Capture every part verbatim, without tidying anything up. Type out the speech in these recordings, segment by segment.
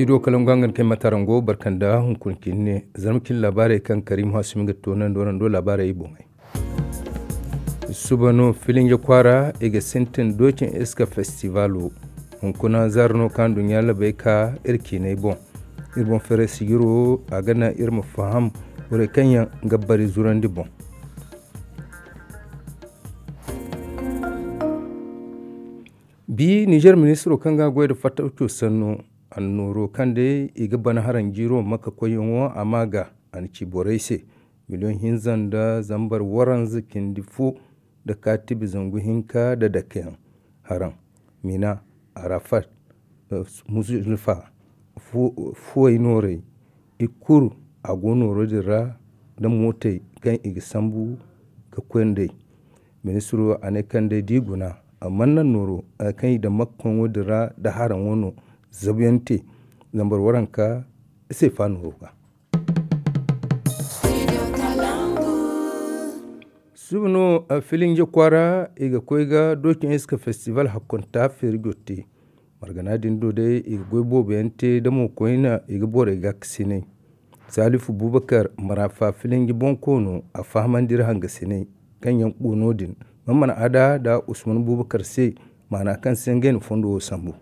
I do kala ngo hangan kay matarango barkanda hunkuna cine zarma cine laabaarey kaŋ karimu hasumi ga toonandi warando laabaarey boŋey. Suba no filinje kwaara i ga sintin doocin iska festival wo. Hunkuna zaara no kaŋ duɲɲa labay ka iri ciinay boŋ. Iri boŋ feeray sijiro a ga naŋ iri ma faham borey kaŋ yaŋ ga bari zurandi boŋ. Bi nizer ministiro kaŋ ga goy nda fattaco sanno annooro kaŋ day i ga bana haraŋ jiiro makka koyyaŋo a ma ga a na ci borey se miliyoŋ hinza nda zambar waranza cindi fo nda kaatibi zangu hinka nda dakeyaŋ haraŋ mina arafat, muzdalifa, fuwey noorey i kulu a go nooro din ra nda mootey kaŋ i ga sambu ga koy nd'ey. Ministiro a ne kaŋ day da i guna a mana naŋ nooro kaŋ i daŋ makka koyŋo din ra nda haraŋo no zabuyaŋ te zambar waranka seefa nooro ga. Suba no filinje kwaara i ga koy ga doocin iska festival hakkonta feeri jotte. Margana din do day i ga goy boobo yaŋ te da mo koyne i ga borey gaakasinay. Salifu bubakar marafa filinji bonkoono a fahamandi iri hangasinay kaŋ yaŋ go no- din. Mana mana ada nda usman bubakar se maana kaŋ se ngey na fondo wo sambu.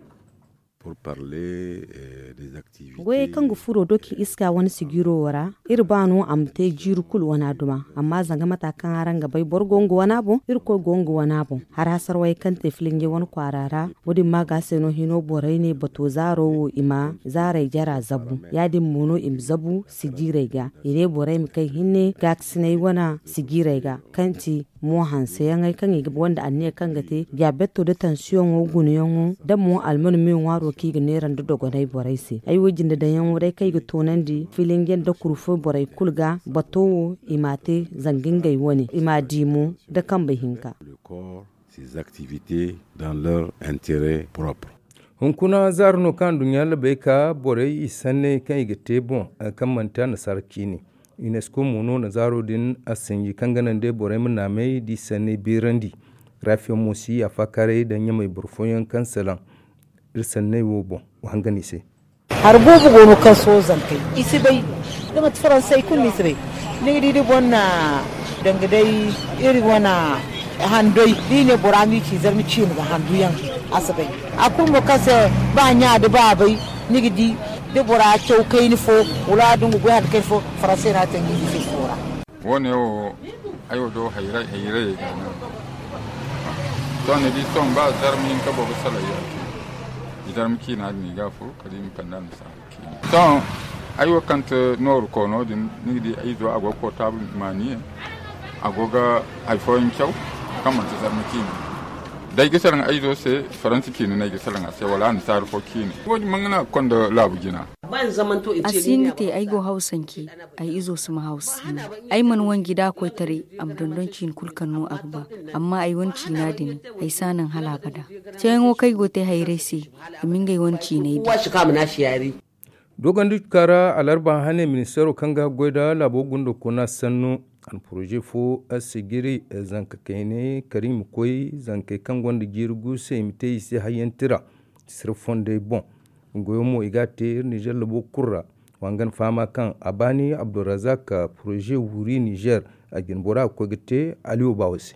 Goyey kaŋ ga furo doki iska wane sijiro wo ra iri ba no a ma te jiiri kulu wana duma. Amma zanga mata kaŋ araŋ ga bay boro go nga wana boŋ irkoy go nga wana boŋ. Har hasarwey kaŋ te filinjey wane kwaara ra wo- din ma ga se no hino borey ne bato zaaro wo i ma zaarey jara zabu ya- din mo no i ma zabu sijirey ga i ne borey ma kay hinne gaakasinay wane sijirey ga kaŋ ti mo hanseyaŋey kaŋ i ga gonda anniya kaŋ ga te diyabeto nda tansiyoŋo gunayaŋo nda mo alman me ŋwaaro kaŋ i ga neera nda dogonay borey se. Ay wo jinde daŋyaŋo day kaŋ i ga toonandi filinje nda kurfo borey kulu ga bato wo i m'a te zanga ngey wane i m'a di mo nda kambey hinka. Hunkuna zaaro no kaŋ anduɲɲa labay ka borey i sanney kaŋ i ga te boŋ kaŋ manti annasaara ciine. Unesco mo no na zaaro din a sinji kaŋ ga naŋ day borey ma naamey da i sanney beerandi. Raafiyaŋ mo si yaafa kaarey daŋ ɲamey boro fooyaŋ kaŋ salaŋ iri sanney wo boŋ wa hangan i se. Hari boobo go no kaŋ sohõ zankey i si bay da manti faransey kulu no i si bay. Ni ga di da boro na danga day iri wane handoy da i ne bora ma i ci zarma ciine ga handu yaŋ a si bay. A kulu mo kaŋ se ba ɲa da baabay ni ga di da bora caw kayna fo wala da nga goy hari kayna fo faransey no a taŋ ga i di se fo ra. Wo-ne wo ay wo do hayray hayrayey ga no. Sohõ ni di sohõ ba zarma hinka boro ga salaŋ ya cine zarma ciina din i ga a furo kala i ma kande annasaara ciine. Sohõ ay wo kaŋ ti nooru koono din ni ga di ay izo a go ga portable maaniye. A go ga hari fooyaŋ caw kaŋ manti zarma ciine. Day ga salaŋ ay izo se faransa ciine no ay ga salaŋ a se wala annasaara fo ciine wo- din mana ga naŋ a ga konda laabu jina. A si hin ga te ay go hawsanci ay izo si ma hawsa si no. Ay mana wanji da a koytaray a ma dondon ciine kulu kaŋ no a ga ba. Amma ay wane ciina din ay si a naŋ hala abada. Ceeyaŋo kaŋ ay go ga te hayray se i ma ngey wane ciinay di. Dogondicuka ra alarba hane ministeero kaŋ ga goy nda laabo gunda kuna sanno a na poroze fo sijiri zanka kayney kala i ma koy zankey kaŋ gonda jiiri gu se i ma te i se hayyanti ra. Sira fondey boŋ goyo mo i ga a te iri nizer labo kulu ra. Wa hangan fahama kaŋ a baani abdulrazak poroze wuri nizer a jine bora ga koy ga te aliyo baawo se.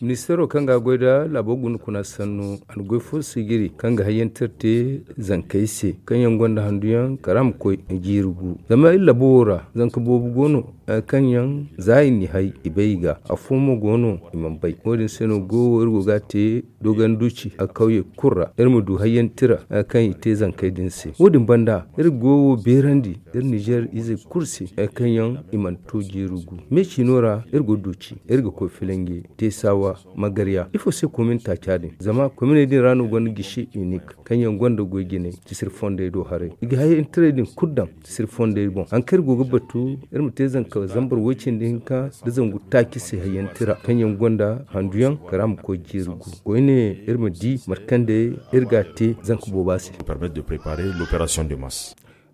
Ministeero kaŋ ga a goy nda laabo guna kuna sanno a na goy fo sijiri kaŋ ga hayyanti iri te zankey se kaŋ yaŋ gonda handuyaŋ kala a ma koy jiiri gu. Zama iri labo wo ra zanka boobo go no kaŋ yaŋ za i n'i hay i bay i ga afo mo go no i mana bay. Wo- din se no goyo wo iri go ga a te dogon duci a kawyey kulu ra iri ma du hayyanti ra kaŋ i te zankey din se. Wo- din banda iri goyo wo beerandi iri nizer izey kulu se kaŋ yaŋ i mana to jiiri gu. Me ciino ra iri go duci iri ga koy filange teesawa magarya ifo se komin taaca din zama kominey din ra no gonda gisi inik kaŋ yaŋ gonda goy jinay cisiri fondey do haray i ga hayyantirey din kulu daŋ cisiri fondey boŋ hari kaŋ iri go ga batu iri ma te zanka zambar way cindi hinka nda zangu taaci se hayyanti ra kaŋ yaŋ gonda handuyaŋ kala a ma koy jiiri gu. Koyne iri ma di mate kaŋ day iri ga a te zanka booba se.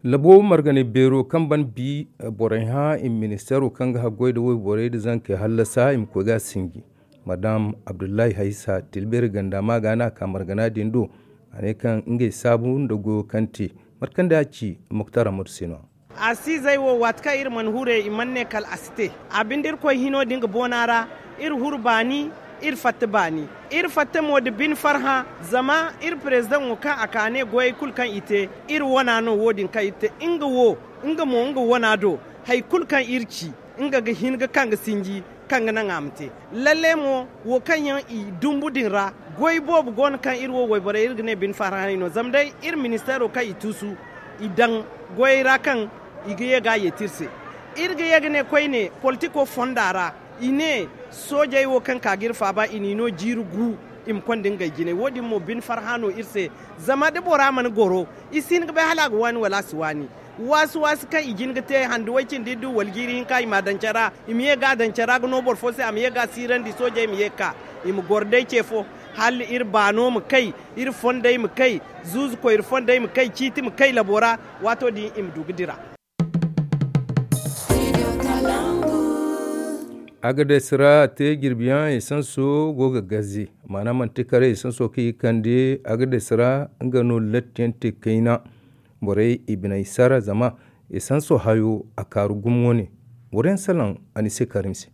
Labo marganay beero kaŋ ban bi borey hã i ma ministeero kaŋ ga haggoy nda wayborey nda zankey hallasa i ma koy ga a sinji. Madam abdullahi haysa tilbeeri ganda ma ga no a ka margana din do. A ne kaŋ ngey saabu nda goyo kaŋ te, mate kaŋ day a ci muktar amadu se no. A si izey wo waati kaŋ iri mana hure i mana ne kala a si te. A binde irkoy hino din ga boona ra, iri huru baani, iri fatta baani. Iri fatta mo nda bine farhã, zama iri perezidaŋo kaŋ a ka ne goyey kulu kaŋ i te, iri wana no wo- din kaŋ iri te. Nga wo, nga mo nga wana do, hari kulu kaŋ iri ci, nga ga hin ga kaŋ ga sinji, kaŋ ga naŋ a ma te. Lalle mo, wo kaŋ yaŋ i dumbu din ra, goy boobo go no kaŋ iri wo wayborey iri ga ne bine farhã no zama day iri ministeero kaŋ i tuusu, i daŋ goyey ra kaŋ i ga ye ga a yeeti iri se. Iri ga ye ga ne koyne politiko fonda ra, i ne soojey wo kaŋ ka ga iri faaba i n'i no jiiri gu, i ma konda ngey jinay wo- din mo bine farhã no iri se. Zama da bora mana goro, i si hin ga bay hala a ga waani wala a si waani. Waasi-waasi kaŋ i jin ga te handu way cindi du wala jiiri hinka i m'a daŋ care ra, i ma ye ga a daŋ care ra ga no boro fo se a ma ye ga a siirandi soojey ma ye ga ka, i ma goro day ce fo, hala iri baano ma kay, iri fondey ma kay, zuuzu koyri fondey ma kay, ciiti ma kay labo ra. Waato din i ma du ga dira. Agadas ra te jirbiyaŋ esanso go ga gaze. Maana manti kare esanso kaŋ i ga kande agadas ra, nga no lattiyaŋ te kayna. Borey i biney sara zama esanso hayo a kaaru gumo wane. Boro yaŋ salaŋ a ni se karim se.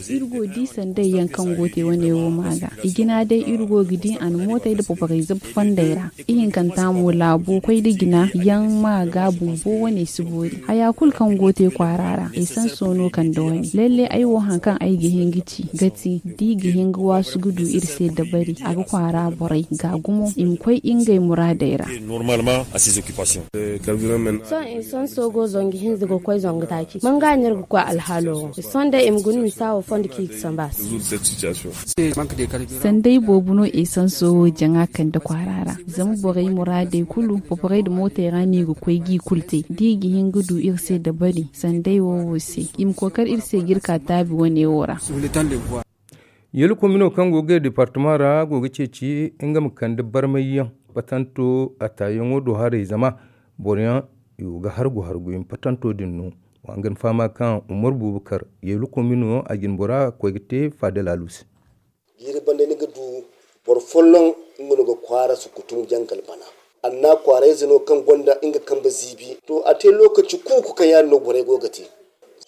Iri go ga di sanday yaŋ kaŋ go ga te wane wo ma ga i jina day iri go ga di a na mootey nda paparey zabu fondey ra. Ihinkanta mo laabo koy nda jina yaŋ ma ga bumbo wane si boori haya kulu kaŋ go ga te kwaara ra. Esanso no kande wane lalle ay wo hari kaŋ ay ga hin ga ci ga ti da i ga hin ga waasu ga du iri se dabari a ga kwaara borey ga gumo i ma koy ngey muraadey ra. Sohõ esanso go zangu hinza ga koy zangu taaci manga no iri ga koy alhaalo wo sohõ day i ma guna misa wo fondo kaŋ i ga sambu a se. Sanday boobo no esanso wo jaŋa kande kwaara ra. Zama borey muraadey kulu poporey nda mootey ra no i ga koy ga i kulu te da i ga hin ga du iri se dabari sanday wo wo se i ma kookari iri se ga iri ka taabi wane wo ra. Yeelu komino kaŋ go ga gay departama ra go ga ceeci nga ma kande barmayyaŋ patanto a taayaŋo do haray zama boroyaŋ i go ga hargu hargu i ma patanto din no. Wa nga ni fahama kaŋ umar buubakar yeelu komino a jine bora koy ga te faada laalu se. Jiiri banda ni ga du boro folloŋ nga no ga kwaara sukutum jangal bana. Anna kwaarayze no kaŋ gonda nga kambe ziibi to a te lookaci kuuku kaŋ yaadin no borey go ga te.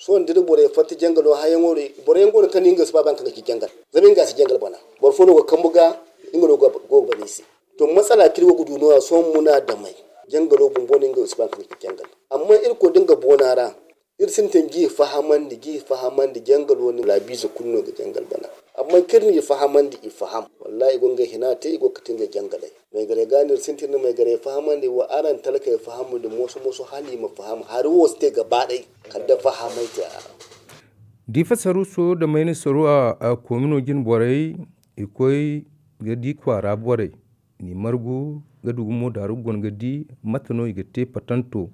Sohõ da iri borey fatta jangalo hayaŋo ra boro yaŋ go no kaŋ no nga si ba ba nga kaŋ ga ci jangal zama nga si jangal bana. Boro fo no ga kambu ga nga no go ga bana i se. To masala kaŋ iri go ga du no- ya sohõ muna damey jangalo bumbo no nga si ba nga kaŋ ga ci jangal. Amma iri koy da nga boona ra iri sintin ga i fahamandi ga i fahamandi jangalo no laabiize kulu no ga jangal bana. Amma kaŋ iri n'i fahamandi i faham wallahi i go ga ngey hina te i go ga kate ngey jangaley. Maygarey ga no iri sintin na maygarey fahamandi wa araŋ talkey fahamandi mooso mooso hala i ma faham hari wo si te gaba day kala da fahamay te a ra. Diifa saruuso nda mayna saruwa komino jine borey i koy ga di kwaara borey ni margu ga du gumo daaru ga guna ga di mate no i ga te patanto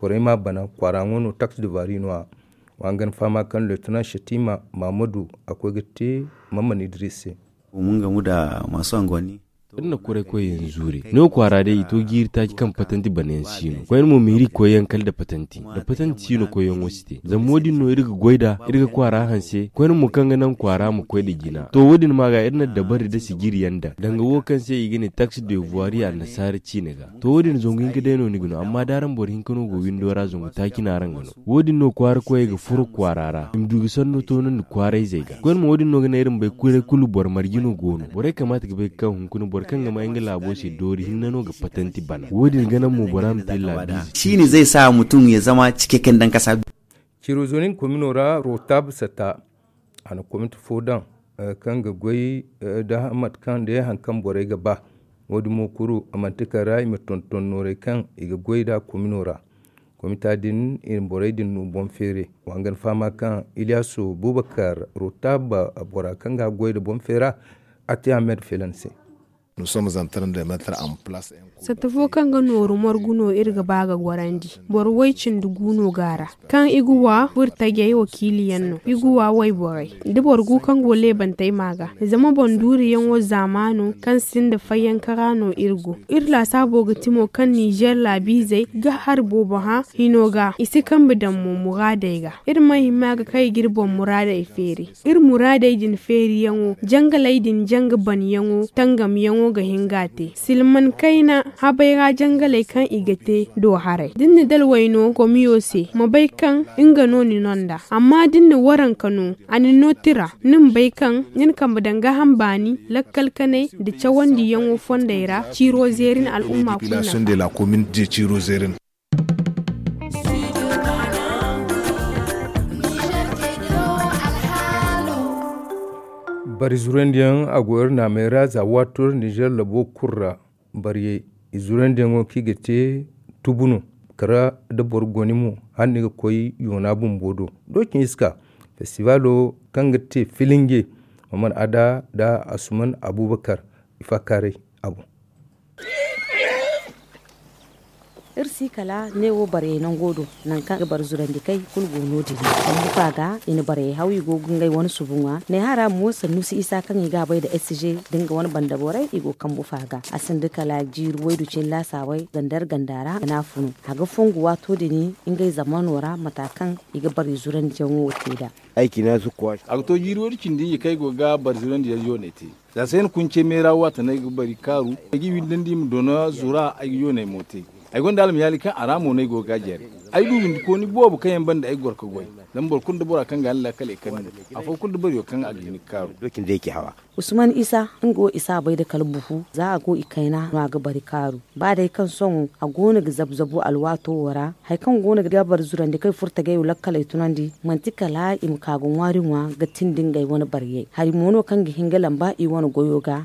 borey ma bana kwaara ŋwa no taksi de vari no- ya. Wa nga ni fahama kaŋ leetinan setima mahamadu a koy ga te mamman idris se. Iri na kuray koy yaŋ zuure no kwaara day i to jiiri taaci kaŋ patanti bana yaŋ si no koyne mo meeri koy yaŋ kala nda patanti nda patanti si no koy yaŋo si te zama wo- din no iri ga goy nd'a iri ga kwaara hanse koyne mo kaŋ ga naŋ kwaara ma koy nda jina to wo- din ma ga iri na dabari nda sijiri yaŋ daŋ danga wo kaŋ se i ga ne taksi de voiri annasaara ciine ga. To wo- din zangu hinka day no ni ga no amma da araŋ boro hinka no go windo ra zangu taaci no araŋ ga no. Wo- din no kwaara koyey ga furo kwaara ra i ma du ga sanno toonandi kwaarayzey ga koyne mo wo- din no ga naŋ iri ma bay kuray kulu boro marje no go no borey kamaata ga bay ga ka hunkuna boro kaŋ ga ma nga laabo se doori hinne no ga patanti bana wo- din ga naŋ mo bora ma te laabiize. Ciini zai sa mutum ya zama cikakken dan kasa. Cirozonin komino ra rotab sata a na komite fo daŋ kaŋ ga goy da mate kaŋ day hari kaŋ borey ga ba. Wo- din mo kuru a manti kala ra i ma tonton noorey kaŋ i ga goy nd'a komino ra. Komita din i na borey din no boŋ feere. Wa nga ni fahama kaŋ iliyasu bubakar rotab bora kaŋ ga goy nda boŋ feera a te ahmed felan se. Satta fo kaŋ ga nooru margu no iri ga ba ga gorandi boro way-cindi gu no go a ra. Kaŋ i ga wa burtajey wakiiliyaŋ no i ga wa wayborey da boro gu kaŋ go leebantey ma ga. Zama boŋ duuriyaŋo zaamaano kaŋ sinda fayyankara no iri go. Iri laasaabo ga ti mo kaŋ ninzeer laabiizey ga hari boobo hã hino ga i si kambe daŋ mo muraadey ga. Iri ma hima ga kay ga iri boŋ muraadey feeri. Iri muraadey din feeriyaŋo jangaley din janga banyaŋo tangamyaŋo. Ga hin ga a te silman kayna habay ra jangaley kaŋ i ga te do haray da ni na dalway no komiyo se ma bay kaŋ nga no ni no nd'a. Amma da ni na waranka no a na ni no tira ni ma bay kaŋ ni na kambe daŋ gaaham baani lakkal kanay nda cawandiyaŋo fondey ra ciiro zeerin al'umma kulu nafa. Bari zurandiyaŋ a go iri naamey ra za waato iri nizer labo kulu ra. Bariyey i zurandiyaŋo kaŋ i ga te tubu no kala da boro goni mo hala no i ga koy yoona bumbo do. Doocin iska festivaalo kaŋ ga te filinge, maman ada nda asuman abubakar i faakaaray a boŋ. Iri si kala ne wo barayey nango do nangu kaŋ i ga bari zurandi kay kulu go no- din. Kambu fa ga i na barayey haw i go ga ngey wane subu ŋwa ne hara mo sannusi isa kaŋ i ga a bay nda s g da nga wane banda borey i go kambu fa ga. A sinda kala jiiri waydu cine laasaabey gandar ganda ra ga na a funu a ga fongu waato din ngey zamano ra mata kaŋ i ga bari zurandiyaŋo wo te nd'a. A ga to jiiri waydu cindi hinja kaŋ ay go ga bari zurandiyaŋ yooney te. Za se ay na kunce meera waati no ay ga bari kaaru ay ga i windandi i ma doona zura ay ga yooney mo te. Ay gonda almayaali kaŋ a ra mo no ay go ga a jare. Ay du windikooni boobo kaŋ yaŋ banda ay ga goro ga goy. Zama boro kulu nda bora kaŋ ga a ni laakal ay kar no afo kulu nda bariyo kaŋ a ga hin ga kaaru. Usman isa nga wo i si a bay nda kala bufu za a go i kayna no a ga bari kaaru. Ba day kaŋ sohõ a go no ga zabu zabu alwaato wo ra hari kaŋ go no ga bari zurandi kaŋ i furo tagay wo lakkaley tunandi manti kala i ma ka ga ŋwaari ŋwa ga tindi ngey wane bariyey hari mo no kaŋ ga hin ga lamba i wane goyo ga.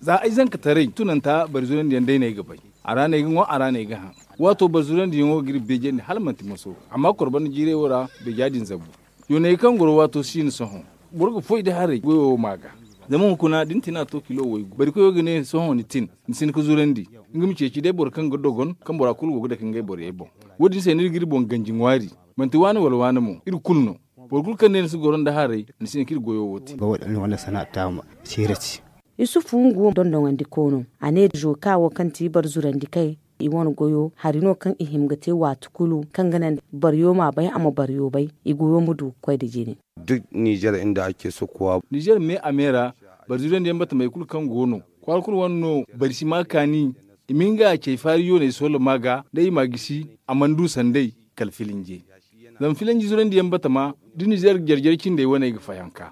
Za ay zankataray tunanta bari zurandi yaŋ day no ay ga bay. A ra no ay ga ŋwa a ra no ay ga hã. Waato bari zurandi yaŋo ga iri beejandi hala manti maso amma koro banda jiiray wo ra beeja din zabu. Yoonay kaŋ goro waato si no sohõ boro ga foy da haray goyo wo ma ga. Zama hunkuna da ni tina to kilo waygu bari koyo ga ne sohõ ni tin ni si hin ga zurandi. Nga ma ceeci day boro kaŋ ga dogon kaŋ bora kulu go ga dake ngey borey boŋ. Wo- din se no iri ga iri boŋ ganji ŋwaari. Manti waani wala waani mo iri kulu no. Boro kulu kaŋ ne ni si goro nda haray ni si hin ka iri goyo wo te. Isufu nga wo dondoŋandi koono a ne zoka wo kaŋ ti boro zurandi kay i wane goyo hari no kaŋ i hima ga te waati kulu kaŋ ga naŋ bariyo ma bay a ma bariyo bay i goyo ma du ga koy nda jine. Nizer me a me ra bari zurandiyaŋ batamey kulu kaŋ go no kwaara kulu wane no. Bari si ma kaani i ma nga cay faari yooney sooloma ga day i ma gisi a mana du sanday. Kala filinje zama filinji zurandiyaŋ batama da nizer jare jare cindey wane ga fayanka.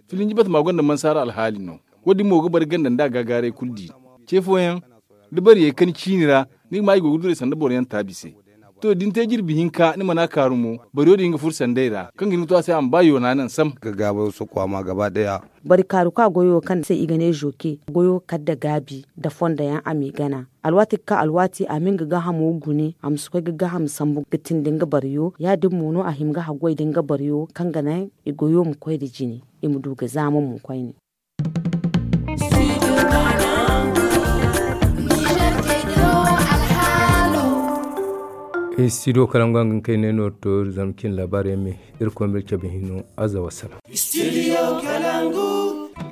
Filinji batama gonda mansaara alhaali no. Wo- din mo ga bari ganda nda a gaagaaray kulu di ce fooyaŋ da bariyey kan ciini ra ni ga ma i go ga duray sanda boroyaŋ taabi se. To da ni te jirbi hinka ni mana kaaru mo bariyo din ga furo sanday ra kaŋ ga hin ga to a se a ma ba yoona naŋ sam. Bari kaaru ka goyo kaŋ se i ga ne zoke goyo kala nda gaabi nda fondo yaŋ a m'i gana. Alwaati ga ka alwaati a ma nga gaahamo gune a ma si koy ga gaaham sambu ga tindi nga bariyo ya- din mo no a hima ga haggoy nda nga bariyo kaŋ ga naŋ i goyo ma koy nda jine i ma du ga zaama mo koyne. Studio kalangu a ga hin kay ne no to zama cin laabaari yaŋ me. Iri koy ma iri cabe hino aza wassalam.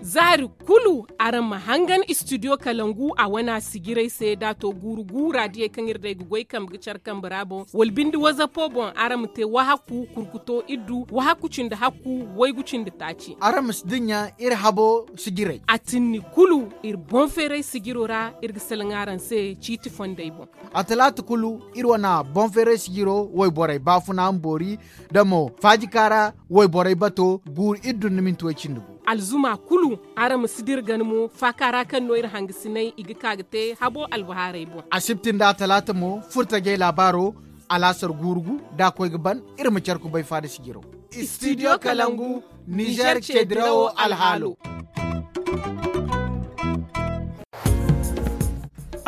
Zaari kulu araŋ ma hangan studio kalangu a wana sijiray se da a to guuru guura diyey kaŋ iri day ga goy kambe ga care kambe ra boŋ wala binde wazapo boŋ araŋ ma te wahaku kurkuto iddu wahaku cindi hakku waygu cindi taaci. Araŋ ma si dinya iri habo sijiray. A tinni kulu iri boŋ feeray sijiro ra iri ga salaŋ araŋ se ciiti fondey boŋ. A talaata kulu iri wana boŋ feeray sijiro wayborey baafuna ma boori da mo faajika ra wayborey bato guuru iri dunduminti way cindi gu. Alzuma kulu araŋ ma si dira gana mo faaka ra kaŋ no iri hangasinay i ga ka ga te habo albahaarey boŋ. Asibti nda atalaata mo furtajey laabaaro alaasar guuru gu da a koy ga ban iri ma care kubay faada sijiro. Studio kalangu nizer ceedirawo alhaalo.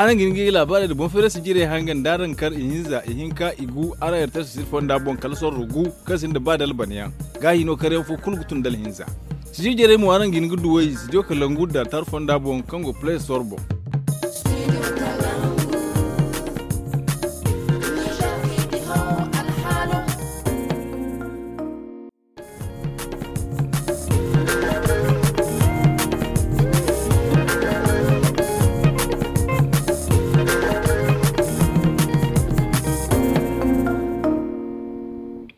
Araŋ ga hin ga i laabaarey nda boŋ feerasi jirey hangan da araŋ kar ihinza ihinka igu araŋ yartar sisir fonda boŋ kala sorro gu kaŋ sinda ba dalbanyaŋ. Gaahi no karyaŋ fo kulu ga tun dalhinza. Sijir jarey mo araŋ ga hin ga duwey sijo kalangu da tar fonda boŋ kaŋ go play store boŋ.